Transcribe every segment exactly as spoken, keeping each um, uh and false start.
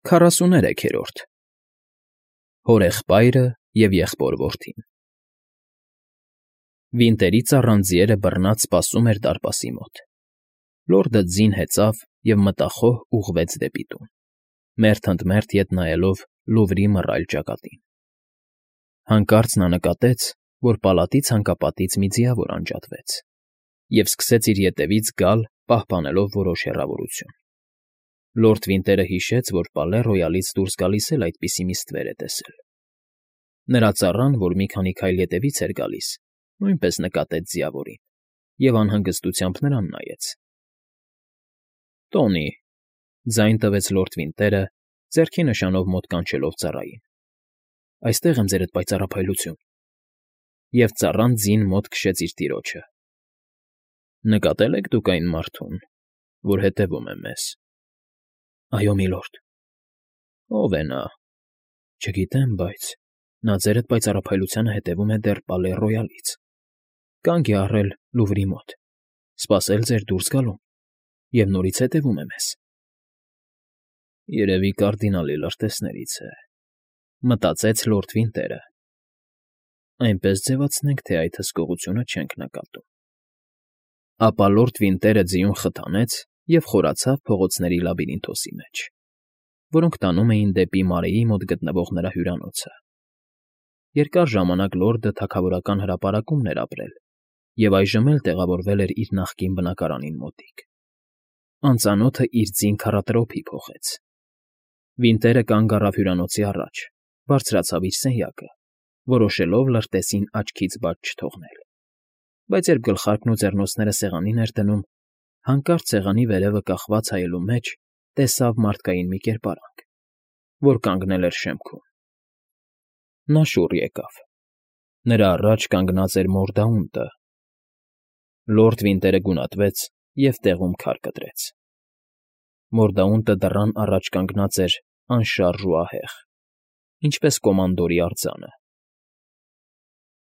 Քառասուներեքերորդ Հորեղբայրը և եղբոր որդին Վինտերից առան ձիերը բռնած սպասում էր դարպասի մոտ։ Լորդը ձին հեծավ և մտախոհ ուղղվեց դեպի տուն, մերթ ընդ մերթ ետ նայելով լուվրի մռայլ ճակատին։ Հանկարծ նա նկատեց, որ պալատի ցանկապատից մի ձիավոր անջատվեց և սկսեց իր ետևից գալ, պահպանելով որոշ հեռավորություն։ Լորդ Վինտերը հիշեց, որ Պալե Ռոյալից դուրս գալիս էլ այդպիսի մի ստվեր է տեսել։ Նրա ծառան, որ մի քանի քայլ ետևից էր գալիս, նույնպես նկատեց ձիավորին և անհանգստությամբ նրան նայեց։ ֊ Տոնի,֊ ձայն տվեց լորդ Վինտերը, ձեռքի նշանով մոտ կանչելով ծառային։֊ Այստեղ եմ, ձերդ պայծառափայլություն… Եվ ծառան ձին մոտ քշեց իր տիրոջը։ ֊ Նկատե՞լ եք դուք այն մարդուն, որ հետևում է մեզ։ ֊ Այո, միլորդ։ ֊ Ո՞վ է նա։ ֊ Չգիտեմ, բայց նա ձերդ պայծառափայլությանը հետևում է դեռ Պալե Ռոյալից, կանգ է առել Լուվրի մոտ, սպասել ձեր դուրս գալուն և նորից հետևում է մեզ։ Երևի կարդինալի լրտեսներից է, մտածեց լորդ Վինտերը։ Այնպես ձևացնենք, թե այդ հսկողությունը չենք նկատում։ Ապա լորդ Վինտերը ձիուն խթանեց և խորացավ փողոցների լաբիրինթոսի մեջ, որոնք տանում էին դեպի Մարեի մոտ գտնվող նրա հյուրանոցը։ Երկար ժամանակ լորդը թագավորական հրապարակումն էր ապրել և այժմ էլ տեղավորվել էր իր նախկին բնակարանին մոտիկ։ Անծանոթը իր ձին քառատրոփի փոխեց։ Վինտերը կանգ առավ հյուրանոցի առաջ, բարձրացավ իր սենյակը, որոշելով լրտեսին աչքից բաց չթողնել, բայց երբ գլխարկն ու ձեռնոցները սեղանին էր դնում, հանկարծ սեղանի վերևը կախված հայելու մեջ տեսավ մարդկային մի կերպարանք, որ կանգնել էր շեմքում։ Նա շուռ եկավ։ Նրա առաջ կանգնած էր Մորդաունտը։ Լորդ Վինտերը գունատվեց և տեղում քար կտրեց։ Մորդաունտը դռան առաջ կանգնած էր անշարժ ու ահեղ, ինչպես կոմանդորի արձանը։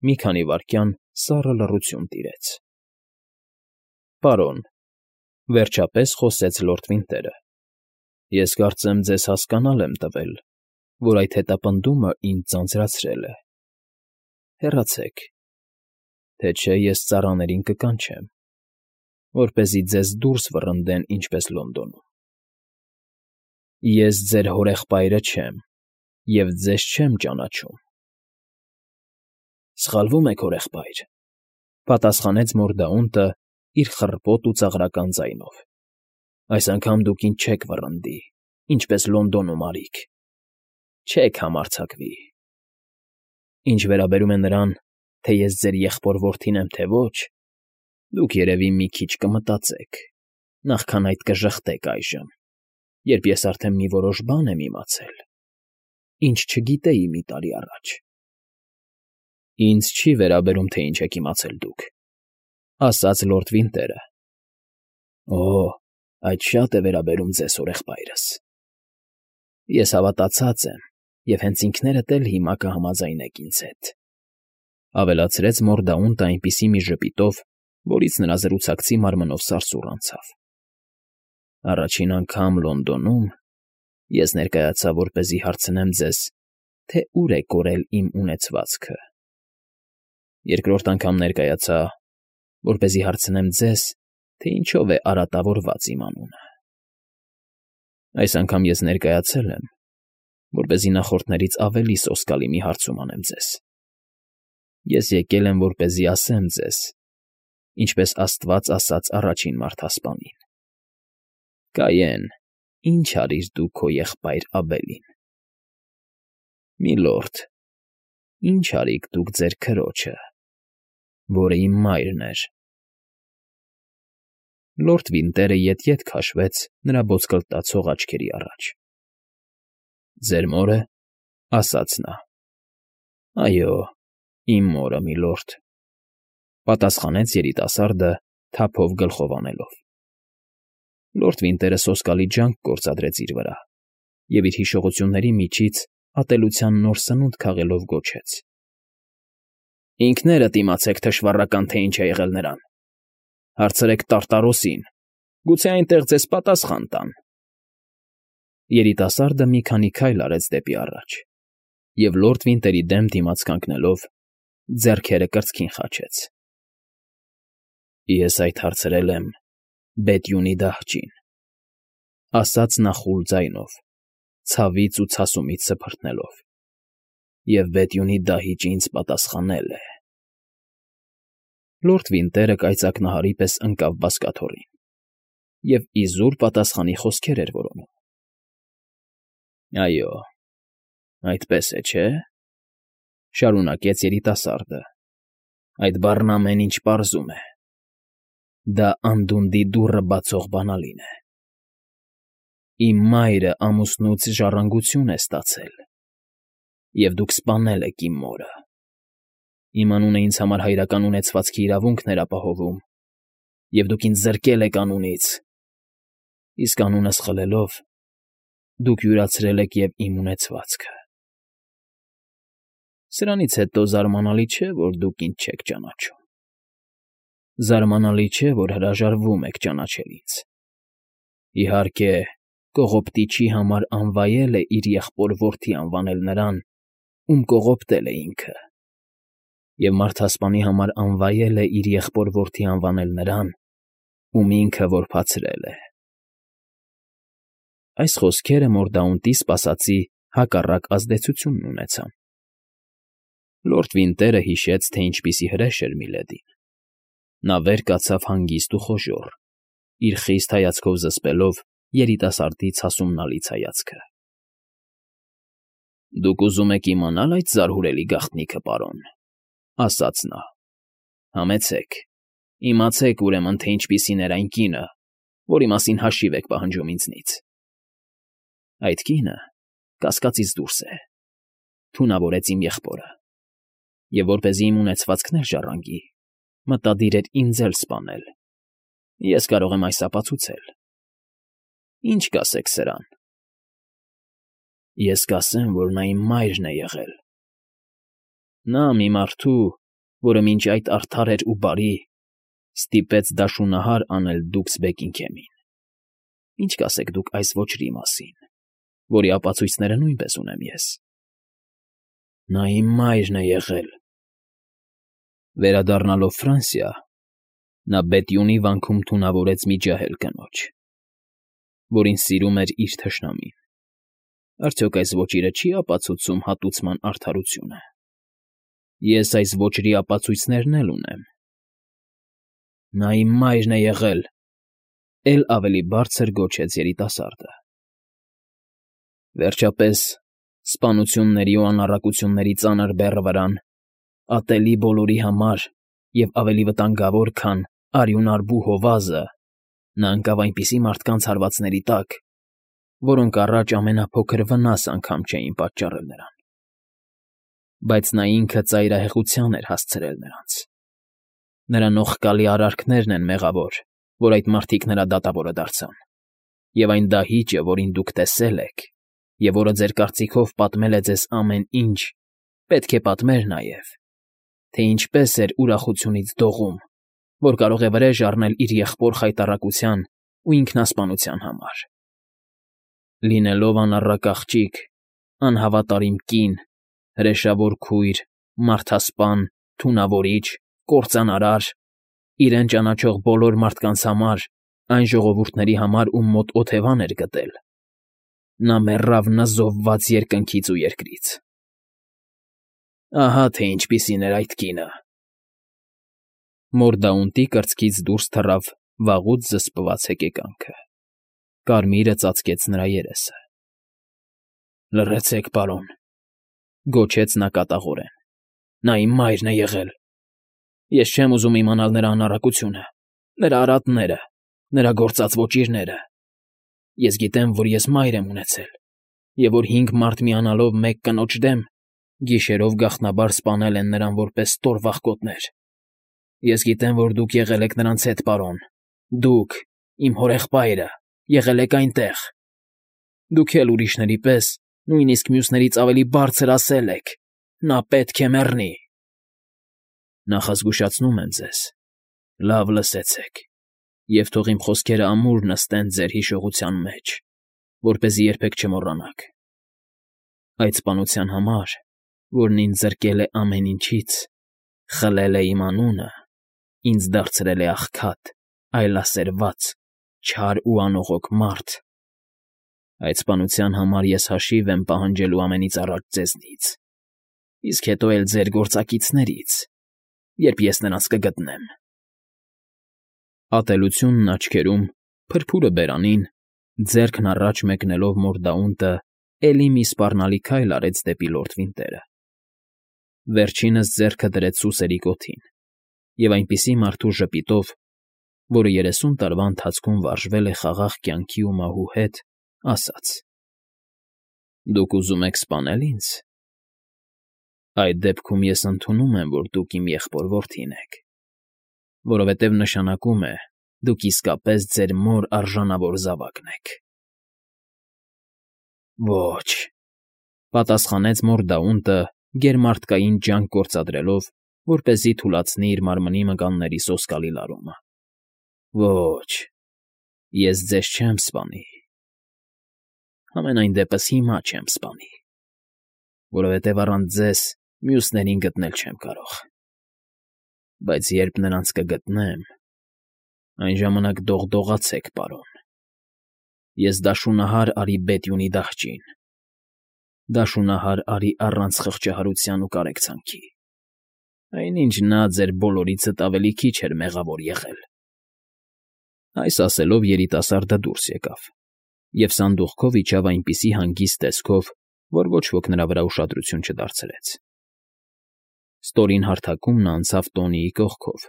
Մի քանի վայրկյան սառը լռություն տիրեց։ ֊ Պարոն,֊ վերջապես խոսեց լորդ Վինտերը,֊ ես կարծեմ ձեզ հասկանալ եմ տվել, որ այդ հետապնդումը ինձ ձանձրացրել է։ Հեռացեք, թե չէ ես ծառաներին կկանչեմ, որպեսզի ձեզ դուրս վռնդեն ինչպես Լոնդոնում։ Ես ձեր հորեղբայրը չեմ և ձեզ չեմ ճանաչում։ ֊ Սխալվում եք, հորեղբայր,֊ պատասխանեց Մորդաունտը իր խռպոտ ու ծաղրական ձայնով։ Այս անգամ դուք ինձ չեք վռնդի, ինչպես Լոնդոնում արիք, չեք համարձակվի։ Ինչ վերաբերում է նրան, թե ես ձեր եղբոր որդին եմ, թե ոչ, դուք, երևի, մի քիչ կմտածեք, նախքան այդ կժխտեք այժմ, երբ ես արդեն մի որոշ բան եմ իմացել, ինչ չգիտեի մի տարի առաջ։ ֊ Ինձ չի վերաբերում, թե ինչ եք իմացել դուք,֊ ասաց լորդ Վինտերը։ ֊ Օ՜, այդ շատ է վերաբերում ձեզ, հորեղբայրս։ Ես հավատացած եմ և հենց ինքներդ էլ հիմա կհամաձայնեք ինձ հետ,֊ ավելացրեց Մորդաունտը այնպիսի մի ժպիտով, որից նրա զրուցակցի մարմնով սարսուռ անցավ։ Առաջին անգամ Լոնդոնում ես ներկայացա, որպեսզի հարցնեմ ձեզ, թե ուր է կորել իմ ունեցվածքը։ Երկրորդ անգամ ներկայացա, որպեսզի հարցնեմ ձեզ, թե ինչով է արատավորված իմ անունը։ Այս անգամ ես ներկայացել եմ, որպեսզի նախորդներից ավելի սոսկալի մի հարցում անեմ ձեզ։ Ես եկել եմ, որպեսզի ասեմ ձեզ, ինչպես Աստված ասաց առաջին մարդասպանին. «Կայեն, ի՞նչ արիր դու քո եղբայր Աբելին»։ Միլորդ, ի՞նչ արիք դուք ձեր քրոջը, որը իմ մայրն էր։ Լորդ Վինտերը ետ֊ետ քաշվեց նրա ոսկլտացող աչքերի առաջ։ ֊ Ձեր մո՞րը,֊ ասաց նա։ ֊ Այո, իմ մորը, միլորդ,֊ պատասխանեց երիտասարդը, թափով գլխով անելով։ Լորդ Վինտերը սոսկալի ջանք գործադրեց իր վրա և իր հիշողությունների միջից ատելության նոր սնունդ քաղելով գոչեց. ֊ Ինքներդ իմացեք, թշվառական, թե ինչ է եղել նրան։ Հարցրեք Տարտարոսին, գուցե այնտեղ ձեզ պատասխան տան։ Երիտասարդը մի քանի քայլ արեց դեպի առաջ և լորդ Վինտերի դեմ դիմաց կանգնելով, ձեռքերը կրծքին խաչեց։ ֊ Ես այդ հարցրել եմ Բեթյունի դահճին,֊ ասաց նա խուլ ձայնով, ցավից ու ցասումից սփռտնելով,֊ և Բեթյունի դահիճը ինձ պատասխանել է… Լորդ Վինտերը կայծակնահարի պես ընկավ բազկաթոռին և իզուր պատասխանի խոսքեր էր որոնում։ ֊ Այո, այդպես է, չէ՞,֊ շարունակեց երիտասարդը,֊ այդ բառն ամեն ինչ պարզում է… Դա անդունդի դուռը բացող բանալին է… Իմ մայրը ամուսնուց ժառանգություն է ստացել, և դուք սպանել եք իմ մորը… Իմ անունը ինձ համար հայրական ունեցվածքի իրավունքն էր ապահովում, և դուք ինձ զրկել եք անունից, իսկ անունս խլելով՝ դուք յուրացրել եք և իմ ունեցվածքը… Սրանից հետո զարմանալի չէ, որ դուք ինձ չեք ճանաչում… Զարմանալի չէ, որ հրաժարվում եք ճանաչել ինձ… Իհարկե, կողոպտիչի համար անվայել է իր եղբոր֊որդի անվանել նրան, ում կողոպտել է ինքը, և մարդասպանի համար անվայել է իր եղբոր֊որդի անվանել նրան, ում ինքը որբացրել է… Այս խոսքերը Մորդաունտի սպասածի հակառակ ազդեցությունն ունեցան։ Լորդ Վինտերը հիշեց, թե ինչպիսի հրեշ էր Միլեդին։ Նա վեր կացավ հանգիստ ու խոժոռ, իր խիստ հայացքով զսպելով երիտասարդի ցասումնալից հայացքը։ ֊ Դուք ուզում եք իմանա՞լ այդ զարհուրելի գաղտնիքը, պարոն,֊ ասաց նա։֊ Համեցեք, իմացեք, ուրեմն, թե ինչպիսին էր այն կինը, որի մասին հաշիվ եք պահանջում ինձնից… Այդ կինը կասկածից դուրս է, թունավորեց իմ եղբորը, և որպեսզի իմ ունեցվածքն էլ ժառանգի, մտադիր էր ինձ էլ սպանել… Ես կարող եմ այս ապացուցել… Ի՞նչ կասեք սրան։ ֊ Ես կասեմ, որ նա իմ մայրն է եղել… Նա մի մարդու, որը մինչ այդ արդար էր ու բարի, ստիպեց դաշունահար անել Դուքսբեկինգհեմին… Ի՞նչ կասեք դուք այս ոճրի մասին, որի ապացույցները նույնպես ունեմ ես։ ֊ Նա իմ մայրն է եղել… Վերադառնալով Ֆրանսիա, նա Բետյունի վանքում թունավորեց մի ջահել կնոջ, որին սիրում էր իր թշնամին… Արդյոք այս ոճիրը չի՞ ապացուցում հատուցման արդարությունը… Ես այս ոճրի ապացույցներն էլ ունեմ… ֊ Նա իմ մայրն է եղել,֊ էլ ավելի բարձր գոչեց երիտասարդը։ Վերջապես, սպանությունների ու անառակությունների ծանր բեռը վրան, ատելի բոլորի համար և ավելի վտանգավոր, քան արյունարբու հովազը, նա ընկավ այնպիսի մարդկանց հարվածների տակ, որոնք առաջ ամենափոքր վնաս անգամ չէին պատճառել նրան… Բայց նա ինքը ծայրահեղության էր հասցրել նրանց… Նրա նողկալի արարքներն են մեղավոր, որ այդ մարդիկ նրա դատավորը դարձան… Եվ այն դահիճը, որին դուք տեսել եք, և որը ձեր կարծիքով պատմել է ձեզ ամեն ինչ, պետք է պատմեր նաև, թե ինչպես էր ուրախությունից դողում, որ կարող է վրեժ առնել իր եղբոր խայտառակության ու ինքնասպանության համար… Լինելով անառակ աղջիկ, անհավատարիմ կին, հրեշավոր քույր, մարդասպան, թունավորիչ, կործանարար, իրեն ճանաչող բոլոր մարդկանց համար, այն ժողովուրդների համար, ում մոտ օթևան էր գտել, նա մեռավ նզովված երկնքից ու երկրից… Ահա թե ինչպիսին էր այդ կինը… Մորդաունտի կրծքից դուրս թռավ վաղուց զսպված հեկեկանքը, կարմիրը ծածկեց նրա երեսը։ ֊ Լռեցեք, պարոն,֊ գոչեց նա կատաղորեն,֊ նա իմ մայրն է եղել… Ես չեմ ուզում իմանալ նրա անառակությունը, նրա արատները, նրա գործած ոճիրները… Ես գիտեմ, որ ես մայր եմ ունեցել, և որ հինգ մարդ միանալով մեկ կնոջ դեմ, գիշերով գաղտնաբար սպանել են նրան որպես ստորվաղկոտներ… Ես գիտեմ, որ դուք եղել եք նրանց հետ, պարոն, դուք, իմ հորեղբայրը, եղել եք այնտեղ… Դուք էլ ուրիշների պես, նույնիսկ մյուսներից ավելի բարձր ասել եք. «Նա պետք է մեռնի»… Նախազգուշացնում եմ ձեզ, լավ լսեցեք, և թող իմ խոսքերը ամուր նստեն ձեր հիշողության մեջ, որպեսզի երբեք չմոռանաք։ Այդ սպանության համար, որն ինձ զրկել է ամեն ինչից, խլել է իմ անունը, ինձ դարձրել է աղքատ, այլասերված, չար ու անողոք մարդ, այդ սպանության համար ես հաշիվ եմ պահանջելու ամենից առաջ ձեզնից, իսկ հետո էլ ձեր գործակիցներից, երբ ես նրանց կգտնեմ։ Ատելությունն աչքերում, փրփուրը բերանին, ձեռքն առաջ մեկնելով Մորդաունտը էլի մի սպառնալի քայլ արեց դեպի լորդ Վինտերը։ Վերջինս ձեռքը դրեց սուսերի կոթին և այնպիսի մարդու ժպիտով, որը երեսուն տարվա ընթացքում վարժվել է խաղաղ կյանքի ու մահու հետ, ասաց. «Դուք ուզում եք սպանել ինձ։ Այդ դեպքում ես ընդունում եմ, որ դուք իմ եղբոր֊որդին եք, որովհետև նշանակում է, դուք իսկապես ձեր մոր արժանավոր զավակն եք»։ «Ոչ», պատասխանեց Մորդաունտը գերմարդկային ջանք գործադրելով, որպեսզի թուլացնի իր մարմնի մկանների սոսկալի լարումը։ «Ոչ, ես ձեզ չեմ սպանի, համենայն դեպս հիմա չեմ սպանի, որովհետև առանց ձեզ մյուսներին գտնել չեմ կարող, բայց երբ նրանց կգտնեմ, այն ժամանակ դողդողացեք, պարոն, ես դաշունահար արի Բետյունի դահճին, դաշունահար արի առանց խղճահարության ու կարեկցանքի, այնինչ նա ձեր բոլորիցդ ավելի քիչ էր մեղավոր եղել»։ Այս ասելով երիտասարդը դուրս եկավ և սանդուղքով իջավ այնպիսի հանգիստ տեսքով, որ ոչ ոք նրա վրա ուշադրություն չդարձրեց։ Ստորին հարթակում նա անցավ Տոնիի կողքով,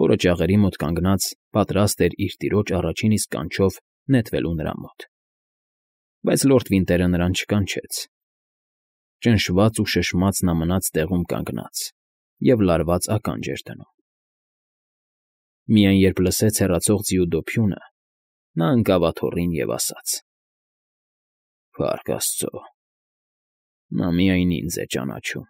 որը ջաղերի մոտ կանգնած պատրաստ էր իր տիրոջ առաջին իսկ կանչով նետվելու նրա մոտ։ Բայց լորդ Վինտերը նրան չկանչեց։ Ճնշված ու շշմած նա մնաց տեղում կանգնած և լարված ականջ էր դնում։ Միայն երբ լսեց հեռացող ձիու դոփյունը, նա ընկավ աթոռին և ասաց. «Փառք աստծո, նա միայն ինձ է ճանաչում»։